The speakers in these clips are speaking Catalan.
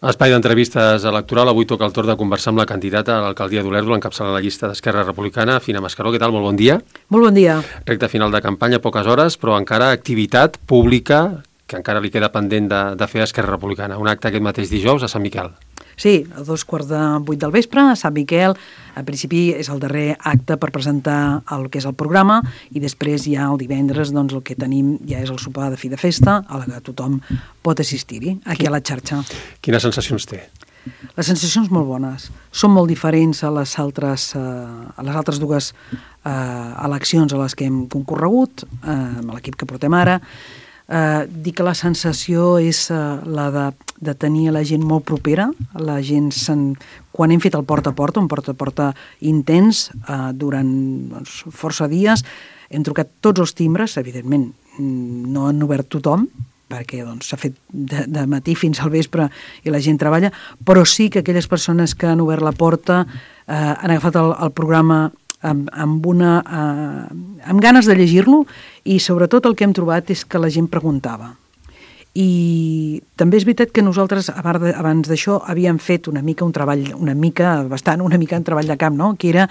Espai d'entrevistes electoral. Avui toca el torn de conversar amb la candidata a l'alcaldia d'Olèrdola, encapçalant la llista d'Esquerra Republicana, Fina Mascaró. Què tal? Molt bon dia. Molt bon dia. Recte final de campanya, poques hores, però encara activitat pública que encara li queda pendent de fer a Esquerra Republicana. Un acte aquest mateix dijous a Sant Miquel. Sí, a 7:45 del vespre, a Sant Miquel. En principi és el darrer acte per presentar el que és el programa i després ja el divendres doncs, el que tenim ja és el sopar de fi de festa a la que tothom pot assistir-hi, aquí a la xarxa. Quines sensacions té? Les sensacions molt bones. Són molt diferents a les altres dues eleccions a les que hem concorregut, amb l'equip que portem ara. Dic que la sensació és la de tenir la gent molt propera. La gent, quan hem fet el porta a porta, un porta a porta intens, durant força dies, hem trucat tots els timbres, evidentment no han obert tothom, perquè s'ha fet de matí fins al vespre i la gent treballa, però sí que aquelles persones que han obert la porta han agafat el programa amb ganes de llegir-lo, i sobretot el que hem trobat és que la gent preguntava. I també és veritat que nosaltres abans d'això havíem fet una mica un treball, una mica en treball de camp, no? Que era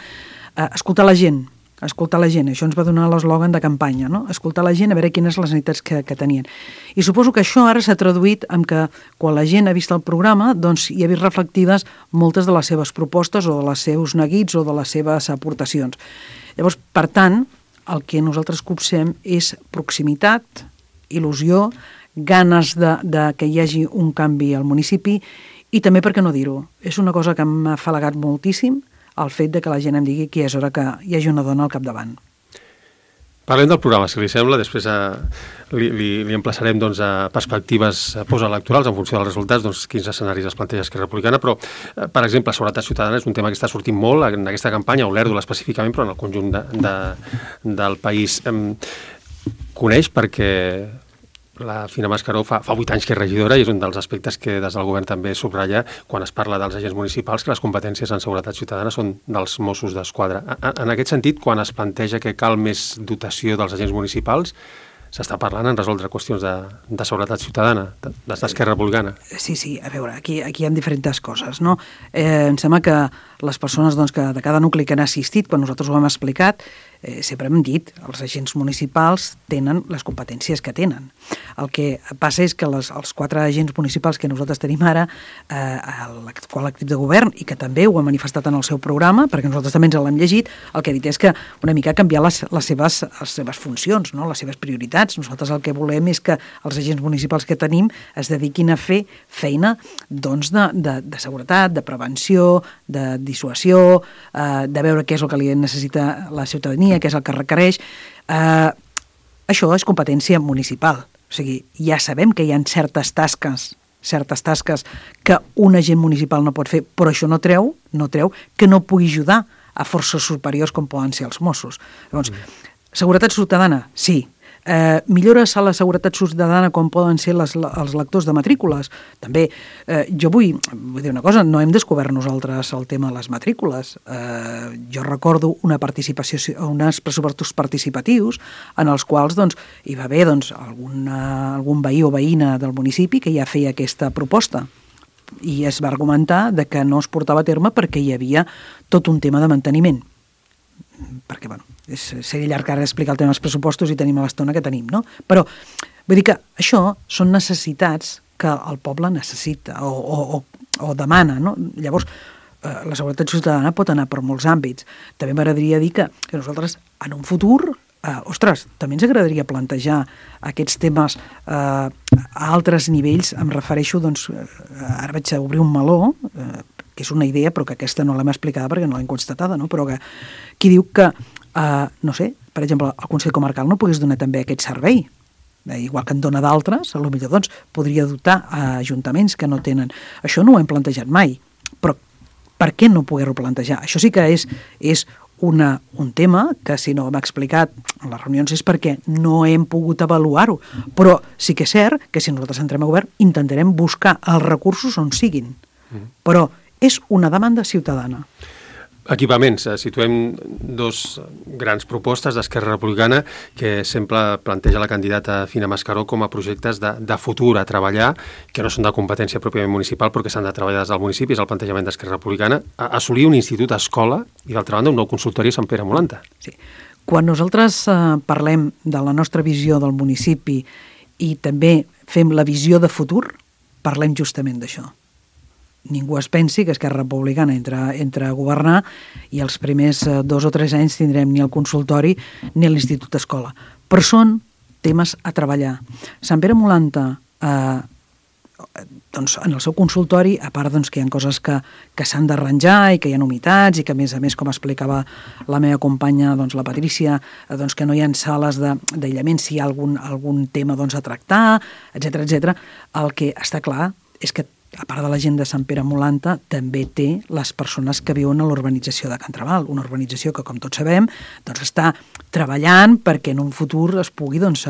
escoltar la gent. Això ens va donar l'eslògan de campanya, no? Escoltar la gent, a veure quines les necessitats que tenien. I suposo que això ara s'ha traduït en que quan la gent ha vist el programa, doncs hi ha vist reflectides moltes de les seves propostes o de les seus neguits o de les seves aportacions. Llavors, per tant, el que nosaltres copsem és proximitat, il·lusió, ganes de que hi hagi un canvi al municipi i també, per què no dir-ho, és una cosa que m'ha afalagat moltíssim, el fet de que la gent em digui que és hora que hi hagi una dona al capdavant. Parlem del programa, si li sembla, després li emplaçarem a perspectives postelectorals en funció dels resultats, quins escenaris es planteja Esquerra Republicana, però, per exemple, seguretat ciutadana és un tema que està sortint molt en aquesta campanya, a Olèrdola específicament, però en el conjunt del país. Coneix perquè la Fina Mascaró fa 8 anys que és regidora i és un dels aspectes que des del govern també subratlla quan es parla dels agents municipals, que les competències en seguretat ciutadana són dels Mossos d'Esquadra. En aquest sentit, quan es planteja que cal més dotació dels agents municipals, s'està parlant en resoldre qüestions de seguretat ciutadana, des d'Esquerra Republicana. Sí, a veure, aquí hi ha diferents coses, no? Em sembla que les persones que de cada nucli que han assistit, quan nosaltres ho hem explicat, sempre hem dit, els agents municipals tenen les competències que tenen. El que passa és que els 4 agents municipals que nosaltres tenim ara, l'actual equip de govern, i que també ho ha manifestat en el seu programa, perquè nosaltres també ens l'hem llegit, el que ha dit és que una mica canviar les seves funcions, no? Les seves prioritats. Nosaltres el que volem és que els agents municipals que tenim es dediquin a fer feina de seguretat, de prevenció, de dissuasió, de veure què és el que li necessita la ciutadania, què és el que requereix. Això és competència municipal. O sigui, ja sabem que hi ha certes tasques que un agent municipal no pot fer, però això no treu que no pugui ajudar a forces superiors com poden ser els Mossos. Llavors, seguretat ciutadana, sí. Millores a la seguretat ciutadana com poden ser els lectors de matrícules. També, jo vull dir una cosa, no hem descobert nosaltres el tema de les matrícules. Jo recordo uns pressupostos participatius en els quals hi va haver algun veí o veïna del municipi que ja feia aquesta proposta i es va argumentar que no es portava a terme perquè hi havia tot un tema de manteniment. Perquè, seria llarg ara explicar el tema dels pressupostos i tenim a l'estona que tenim, no? Però vull dir que això són necessitats que el poble necessita o demana, no? Llavors, la seguretat ciutadana pot anar per molts àmbits. També m'agradaria dir que nosaltres, en un futur, també ens agradaria plantejar aquests temes a altres nivells. Em refereixo, ara vaig a obrir un meló, que és una idea, però que aquesta no l'hem explicada perquè no l'hem constatada, no? Però que qui diu que, no sé, per exemple, el Consell Comarcal no pogués donar també aquest servei, igual que en dona d'altres, potser podria dotar a ajuntaments que no tenen. Això no ho hem plantejat mai, però per què no poder-ho plantejar? Això sí que és un tema que, si no hem explicat en les reunions, és perquè no hem pogut avaluar-ho, però sí que és cert que si nosaltres entrem a govern intentarem buscar els recursos on siguin, però és una demanda ciutadana. Equipaments. Situem dos grans propostes d'Esquerra Republicana que sempre planteja la candidata Fina Mascaró com a projectes de futur a treballar, que no són de competència pròpiament municipal, però que s'han de treballar des del municipi. És el plantejament d'Esquerra Republicana. Assolir un institut escola i, d'altra banda, un nou consultori a Sant Pere Molanta. Sí. Quan nosaltres parlem de la nostra visió del municipi i també fem la visió de futur, parlem justament d'això. Ningú es pensi que Esquerra Republicana entra a governar i els primers 2 o 3 anys tindrem ni el consultori ni l'Institut Escola. Però són temes a treballar. Sant Pere Molanta, doncs, en el seu consultori, a part doncs, que hi ha coses que s'han d'arranjar i que hi ha humitats i que, a més, com explicava la meva companya, doncs, la Patrícia, doncs, que no hi ha sales d'aïllament si hi ha algun tema doncs, a tractar, etc. El que està clar és que, a part de la gent de Sant Pere Molanta, també té les persones que viuen a l'urbanització de Can Traval, una urbanització que, com tots sabem, doncs, està treballant perquè en un futur es pugui doncs,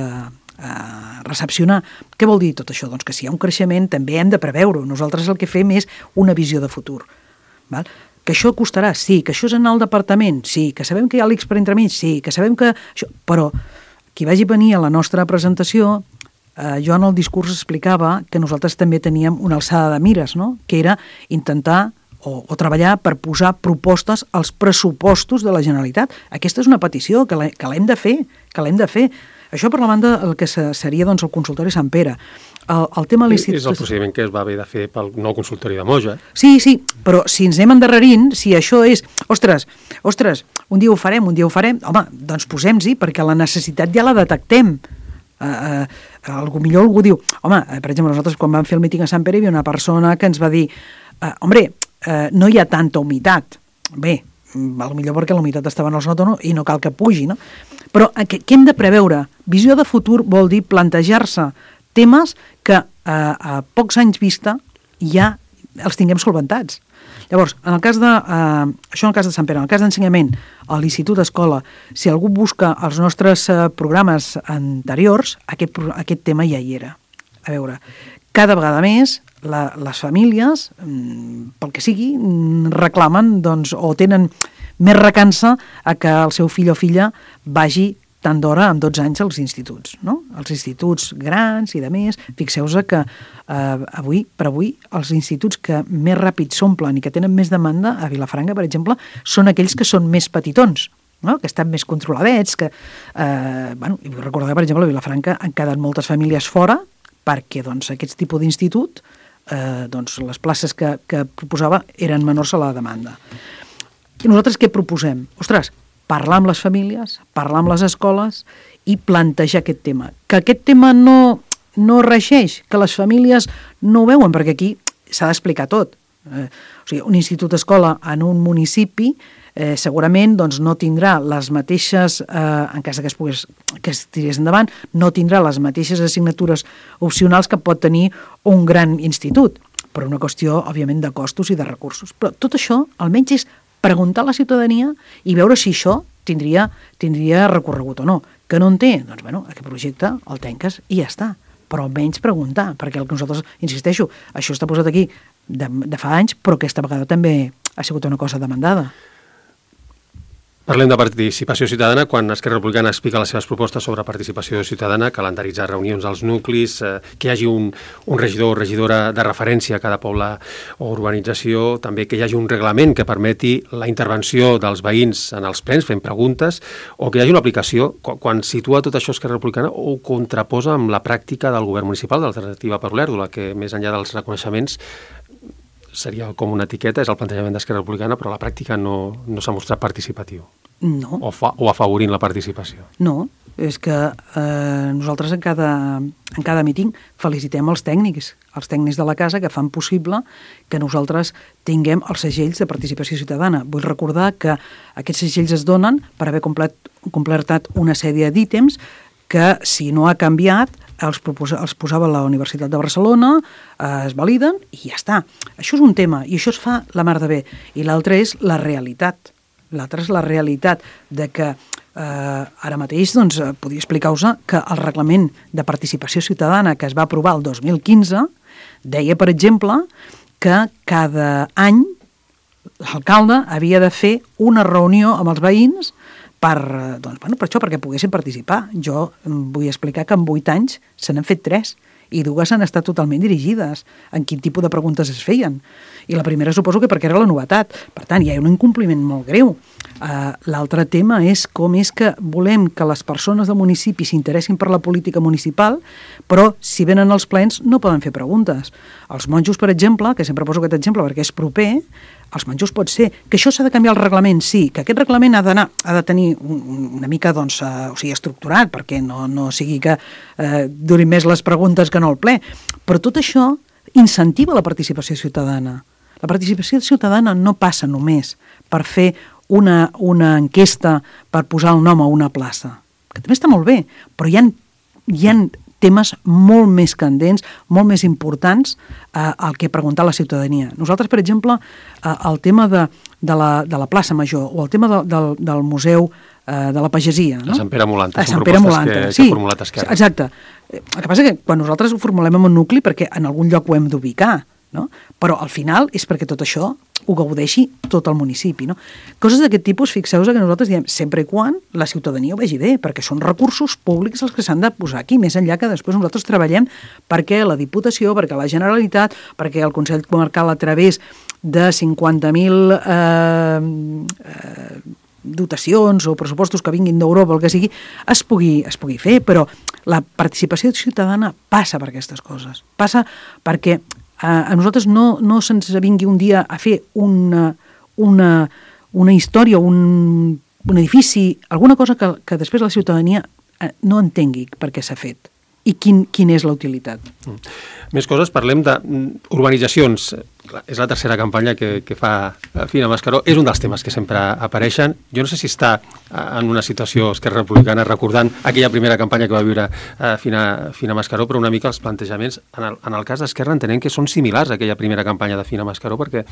recepcionar. Què vol dir tot això? Doncs que si hi ha un creixement també hem de preveure-ho. Nosaltres el que fem és una visió de futur. Val? Que això costarà? Sí. Que això és anar al departament? Sí. Que sabem que hi ha l'X per entremig? Sí. Que sabem que... Però qui vagi venir a la nostra presentació... jo en el discurs explicava que nosaltres també teníem una alçada de mires, no? Que era intentar o treballar per posar propostes als pressupostos de la Generalitat. Aquesta és una petició que l'hem de fer, Això per la banda el que seria doncs, el consultori Sant Pere. El tema de l'Institut... És el procediment que es va haver de fer pel nou consultori de Moja. Sí, però si ens anem endarrerint, si això és... Ostres, un dia ho farem, home, doncs posem-hi, perquè la necessitat ja la detectem. Millor algú diu, home, per exemple, nosaltres quan vam fer el míting a Sant Pere hi havia una persona que ens va dir no hi ha tanta humitat. Bé, potser perquè la humitat estava en el sòtano i no cal que pugi, no? Però què hem de preveure? Visió de futur vol dir plantejar-se temes que a pocs anys vista ja els tinguem solventats. Llavors, en el cas això en el cas de Sant Pere, en el cas d'ensenyament, a l'Institut Escola, si algú busca els nostres programes anteriors, aquest tema ja hi era. A veure, cada vegada més les famílies, pel que sigui, reclamen doncs, o tenen més recança a que el seu fill o filla vagi tant d'hora amb 12 anys als instituts, no? Els instituts grans i de més. Fixeu-vos que avui els instituts que més ràpid s'omplen i que tenen més demanda a Vilafranca, per exemple, són aquells que són més petitons, no? Que estan més controladets, que... i vull recordar, per exemple, a Vilafranca han quedat moltes famílies fora perquè doncs, aquest tipus d'institut, doncs, les places que proposava eren menors a la demanda. I nosaltres què proposem? Ostres, parlar amb les famílies, parlar amb les escoles i plantejar aquest tema. Que aquest tema no regeix, que les famílies no ho veuen, perquè aquí s'ha d'explicar tot. O sigui, un institut escola en un municipi segurament doncs, no tindrà les mateixes, en cas que es tirés endavant, no tindrà les mateixes assignatures opcionals que pot tenir un gran institut, per una qüestió, òbviament, de costos i de recursos. Però tot això, almenys, és preguntar a la ciutadania i veure si això tindria recorregut o no. Que no en té? Doncs, aquest projecte el tanques i ja està. Però almenys preguntar, perquè el que nosaltres, insisteixo, això està posat aquí de fa anys, però aquesta vegada també ha sigut una cosa demandada. Parlem de participació ciutadana. Quan Esquerra Republicana explica les seves propostes sobre participació ciutadana, calendaritzar reunions als nuclis, que hi hagi un regidor o regidora de referència a cada poble o urbanització, també que hi hagi un reglament que permeti la intervenció dels veïns en els plens fent preguntes, o que hi hagi una aplicació, quan situa tot això Esquerra Republicana, ho contraposa amb la pràctica del govern municipal, de l'alternativa per Olèrdola, que més enllà dels reconeixements seria com una etiqueta, és el plantejament d'Esquerra Republicana, però a la pràctica no s'ha mostrat participatiu. No. O afavorint la participació. No, és que nosaltres en cada míting felicitem els tècnics de la casa que fan possible que nosaltres tinguem els segells de participació ciutadana. Vull recordar que aquests segells es donen per haver completat una sèrie d'ítems que, si no ha canviat, els posava la Universitat de Barcelona, es validen i ja està. Això és un tema i això es fa la mar de bé. I l'altre és la realitat. L'altre és la realitat de que ara mateix doncs, podria explicar-vos que el reglament de participació ciutadana que es va aprovar el 2015 deia, per exemple, que cada any l'alcalde havia de fer una reunió amb els veïns per això, perquè poguessin participar. Jo vull explicar que en 8 anys se n'han fet 3 i 2 han estat totalment dirigides en quin tipus de preguntes es feien. I la primera suposo que perquè era la novetat. Per tant, hi ha un incompliment molt greu. L'altre tema és com és que volem que les persones del municipi s'interessin per la política municipal, però si venen als plens no poden fer preguntes. Els monjos, per exemple, que sempre poso aquest exemple perquè és proper, els monjos pot ser que això s'ha de canviar el reglament, sí, que aquest reglament ha de tenir una mica estructurat, perquè no sigui que durin més les preguntes que no el ple, però tot això incentiva la participació ciutadana. La participació ciutadana no passa només per fer una enquesta per posar el nom a una plaça, que també està molt bé, però hi ha temes molt més candents, molt més importants al que preguntar a la ciutadania. Nosaltres, per exemple, el tema de la plaça Major o el tema del Museu de la Pagesia. No? A Sant Pere Molanta, són propostes que ha formulat Esquerra. Exacte. El que passa que quan nosaltres ho formulem en un nucli perquè en algun lloc ho hem d'ubicar, no? Però al final és perquè tot això ho gaudeixi tot el municipi. No? Coses d'aquest tipus, fixeu-vos que nosaltres diem sempre i quan la ciutadania ho vegi bé, perquè són recursos públics els que s'han de posar aquí, més enllà que després nosaltres treballem perquè la Diputació, perquè la Generalitat, perquè el Consell Comarcal a través de 50.000 dotacions o pressupostos que vinguin d'Europa, el que sigui, es pugui fer, però la participació ciutadana passa per aquestes coses. Passa perquè a nosaltres no se'ns vingui un dia a fer una història, un edifici, alguna cosa que després la ciutadania no entengui per què s'ha fet i quina és la utilitat. Més coses, parlem d'urbanitzacions. És la tercera campanya que fa Fina Mascaró. És un dels temes que sempre apareixen. Jo no sé si està en una situació Esquerra Republicana recordant aquella primera campanya que va viure Fina Mascaró, però una mica els plantejaments, en el cas d'Esquerra, entenem que són similars a aquella primera campanya de Fina Mascaró, perquè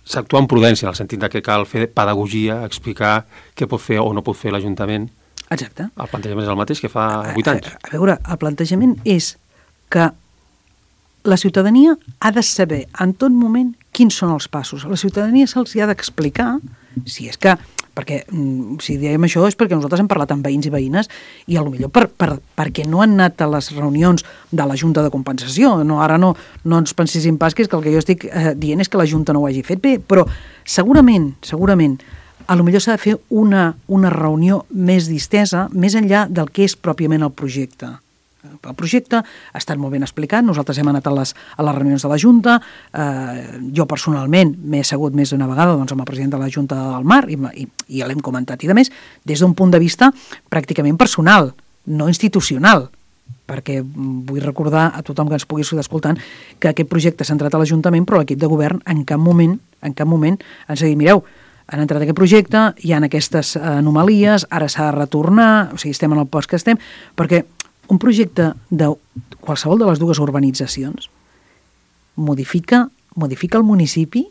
s'actua amb prudència, en el sentit que cal fer pedagogia, explicar què pot fer o no pot fer l'Ajuntament. Exacte. El plantejament és el mateix que fa 8 anys. A veure, el plantejament és que la ciutadania ha de saber en tot moment quins són els passos. A la ciutadania se'ls ha d'explicar, si és que, perquè si diem això és perquè nosaltres hem parlat amb veïns i veïnes i potser perquè no han anat a les reunions de la Junta de Compensació. Ara no ens penséssim pas que és que el que jo estic dient és que la Junta no ho hagi fet bé, però segurament, potser s'ha de fer una reunió més distesa, més enllà del que és pròpiament el projecte. El projecte ha estat molt ben explicat, nosaltres hem anat a les reunions de la Junta, jo personalment m'he assegut més d'una vegada amb el president de la Junta del Mar i l'hem comentat, i a més, des d'un punt de vista pràcticament personal, no institucional, perquè vull recordar a tothom que ens pugui estar escoltant que aquest projecte s'ha entrat a l'Ajuntament, però l'equip de govern en cap moment ens ha dit, mireu, han entrat aquest projecte, hi ha aquestes anomalies, ara s'ha de retornar, o sigui, estem en el post que estem, perquè un projecte de qualsevol de les dues urbanitzacions modifica el municipi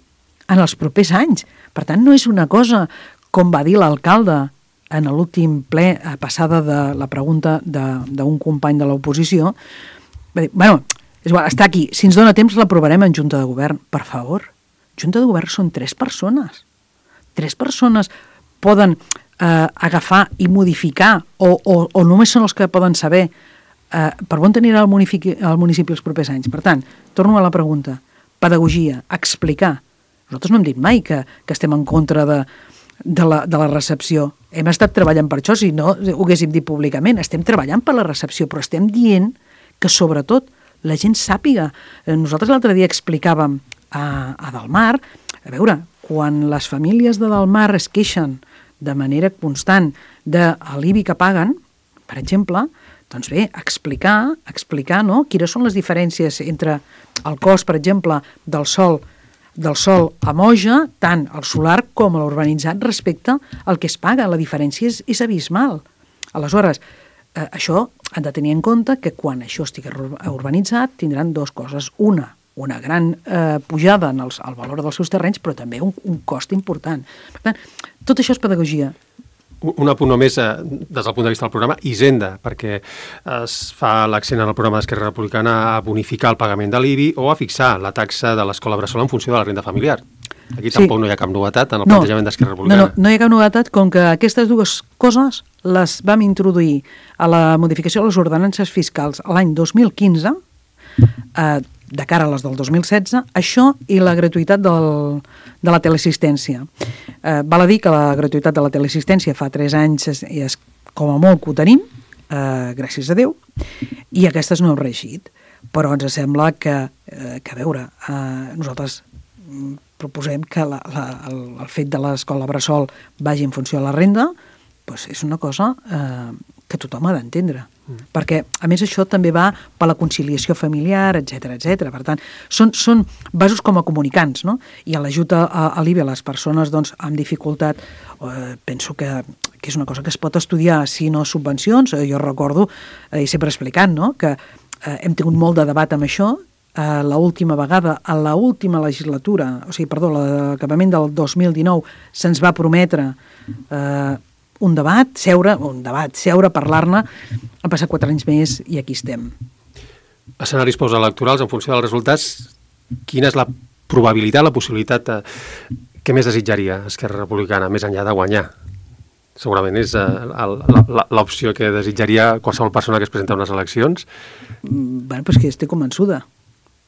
en els propers anys. Per tant, no és una cosa, com va dir l'alcalde en l'últim ple, passada de la pregunta d'un company de l'oposició, va dir, és igual, està aquí, si ens dona temps l'aprovarem en Junta de Govern. Per favor, Junta de Govern són 3 persones. 3 persones poden agafar i modificar o només són els que poden saber per on anirà el municipi els propers anys. Per tant, torno a la pregunta. Pedagogia, explicar. Nosaltres no hem dit mai que estem en contra de la recepció. Hem estat treballant per això, si no ho haguéssim dit públicament. Estem treballant per la recepció, però estem dient que sobretot la gent sàpiga. Nosaltres l'altre dia explicàvem a Delmar, a veure, quan les famílies de Delmar es queixen de manera constant de l'IBI que paguen, per exemple, doncs bé, explicar no? Quines són les diferències entre el cost, per exemple, del sòl a Moja, tant el solar com l'urbanitzat respecte al que es paga. La diferència és abismal. Aleshores, això han de tenir en compte que quan això estigui urbanitzat tindran 2 coses. Una gran pujada en el valor dels seus terrenys, però també un cost important. Per tant, tot això és pedagogia. Un apunt només des del punt de vista del programa, Hisenda, perquè es fa l'accent en el programa d'Esquerra Republicana a bonificar el pagament de l'IBI o a fixar la taxa de l'escola bressol en funció de la renda familiar. Aquí tampoc no hi ha cap novetat en el plantejament d'Esquerra Republicana. No hi ha cap novetat, com que aquestes dues coses les vam introduir a la modificació de les ordenances fiscals l'any 2015, de cara a les del 2016, això i la gratuïtat de la teleassistència. Val a dir que la gratuïtat de la teleassistència fa 3 anys és com a molt que ho tenim, gràcies a Déu, i aquestes no heu reeixit. Però ens sembla que a veure, nosaltres proposem que el fet de l'escola bressol vagi en funció de la renda, doncs és una cosa que tothom ha d'entendre. Perquè, a més, això també va per la conciliació familiar, etc etc. Per tant, són vasos com a comunicants, no? I l'ajut a l'IVA a les persones doncs, amb dificultat, penso que és una cosa que es pot estudiar, si no subvencions. Jo recordo, i sempre explicant, no?, que hem tingut molt de debat amb això. L'última vegada, a l'última legislatura, l'acabament del 2019, se'ns va prometre un debat, seure, parlar-ne. Han passat 4 anys més i aquí estem. Escenaris postelectorals, en funció dels resultats, quina és la probabilitat, la possibilitat que més desitjaria Esquerra Republicana, més enllà de guanyar? Segurament és l'opció que desitjaria qualsevol persona que es presenta a unes eleccions. Bé, però és que estic convençuda.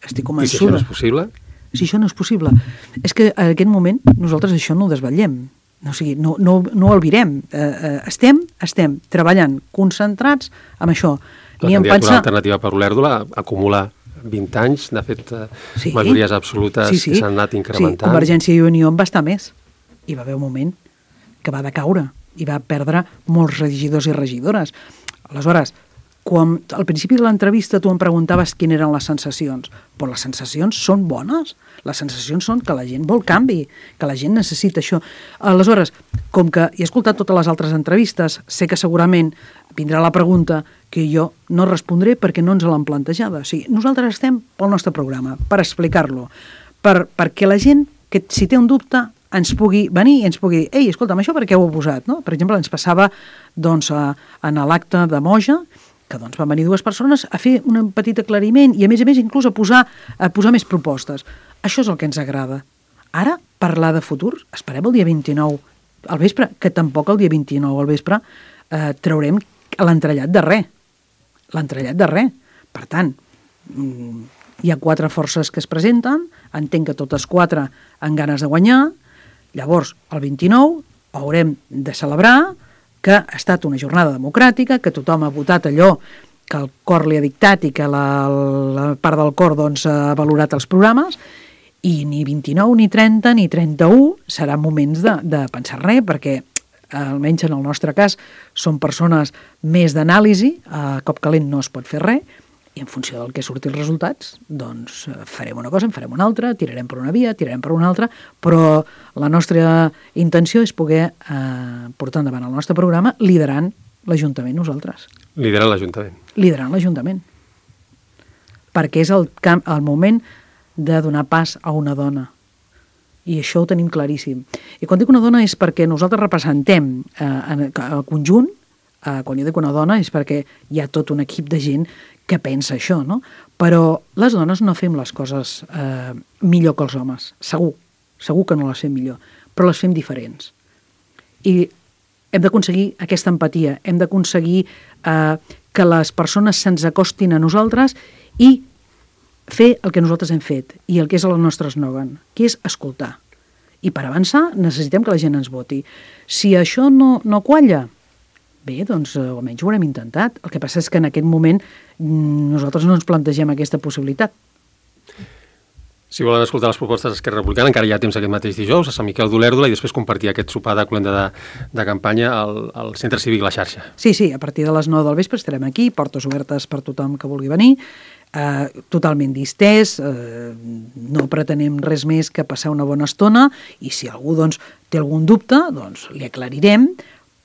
I si això no és possible? Si això no és possible. És que en aquest moment nosaltres això no ho desvetllem. O sigui, no ho albirem. Estem treballant, concentrats en això. La candidatura alternativa per Olèrdola acumula 20 anys, de fet, majories absolutes que s'han anat incrementant. Sí, Convergència i Unió en va estar més. I va haver un moment que va decaure i va perdre molts regidors i regidores. Aleshores, quan al principi de l'entrevista tu em preguntaves quines eren les sensacions, però les sensacions són bones. Les sensacions són que la gent vol canvi, que la gent necessita això. Aleshores, com que he escoltat totes les altres entrevistes, sé que segurament vindrà la pregunta que jo no respondré perquè no ens l'han plantejada. O sigui, nosaltres estem pel nostre programa, per explicar-lo, perquè la gent, que si té un dubte, ens pugui venir i ens pugui dir, ei, escolta'm, això per què ho heu posat? No? Per exemple, ens passava doncs, en l'acte de Moja, que doncs, van venir 2 persones a fer un petit aclariment i a més inclús a posar més propostes. Això és el que ens agrada. Ara, parlar de futur, esperem el dia 29 al vespre, que tampoc el dia 29 al vespre traurem l'entrellat de res. L'entrellat de res. Per tant, hi ha 4 forces que es presenten, entenc que totes 4 han ganes de guanyar. Llavors, el 29 haurem de celebrar que ha estat una jornada democràtica, que tothom ha votat allò que el cor li ha dictat i que la part del cor doncs, ha valorat els programes, i ni 29, ni 30, ni 31 seran moments de pensar res, perquè almenys en el nostre cas són persones més d'anàlisi, a cop calent no es pot fer res, i en funció del que surti els resultats, doncs farem una cosa, en farem una altra, tirarem per una via, tirarem per una altra, però la nostra intenció és poder portar endavant el nostre programa liderant l'Ajuntament nosaltres. Liderant l'Ajuntament. Liderant l'Ajuntament. Perquè és el moment de donar pas a una dona. I això ho tenim claríssim. I quan dic una dona és perquè nosaltres representem el conjunt, quan jo dic una dona és perquè hi ha tot un equip de gent que pensa això, no? Però les dones no fem les coses millor que els homes, segur que no les fem millor, però les fem diferents. I hem d'aconseguir aquesta empatia, hem d'aconseguir que les persones se'ns acostin a nosaltres i fer el que nosaltres hem fet i el que és el nostre eslògan, que és escoltar. I per avançar necessitem que la gent ens voti. Si això no qualla, bé, doncs almenys ho haurem intentat. El que passa és que en aquest moment nosaltres no ens plantegem aquesta possibilitat. Si volen escoltar les propostes d'Esquerra Republicana, encara hi ha temps aquest mateix dijous a Sant Miquel d'Olèrdola i després compartir aquest sopar de cloenda de campanya al Centre Cívic La Xarxa. Sí, a partir de les 9 del vespre estarem aquí, portes obertes per tothom que vulgui venir, totalment distès, no pretenem res més que passar una bona estona i si algú doncs, té algun dubte, doncs li aclarirem,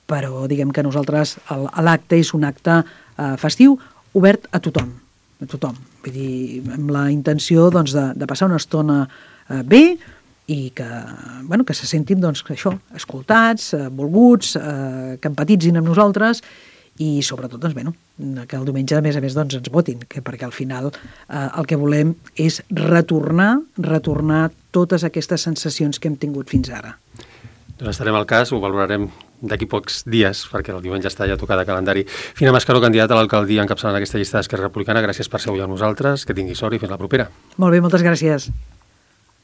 però diguem que nosaltres l'acte és un acte festiu obert a tothom. Vull dir, amb la intenció doncs, de passar una estona bé i que se sentin doncs, això, escoltats, volguts, que empatitzin amb nosaltres i sobretot doncs, que el diumenge a més doncs, ens votin, perquè al final el que volem és retornar totes aquestes sensacions que hem tingut fins ara. Doncs estarem al cas, ho valorarem d'aquí pocs dies, perquè el diumenge està ja tocat de calendari. Fina Mascaró, candidata a l'alcaldia encapçalant aquesta llista d'Esquerra Republicana, gràcies per ser avui amb nosaltres, que tingui sort i fins la propera. Molt bé, moltes gràcies.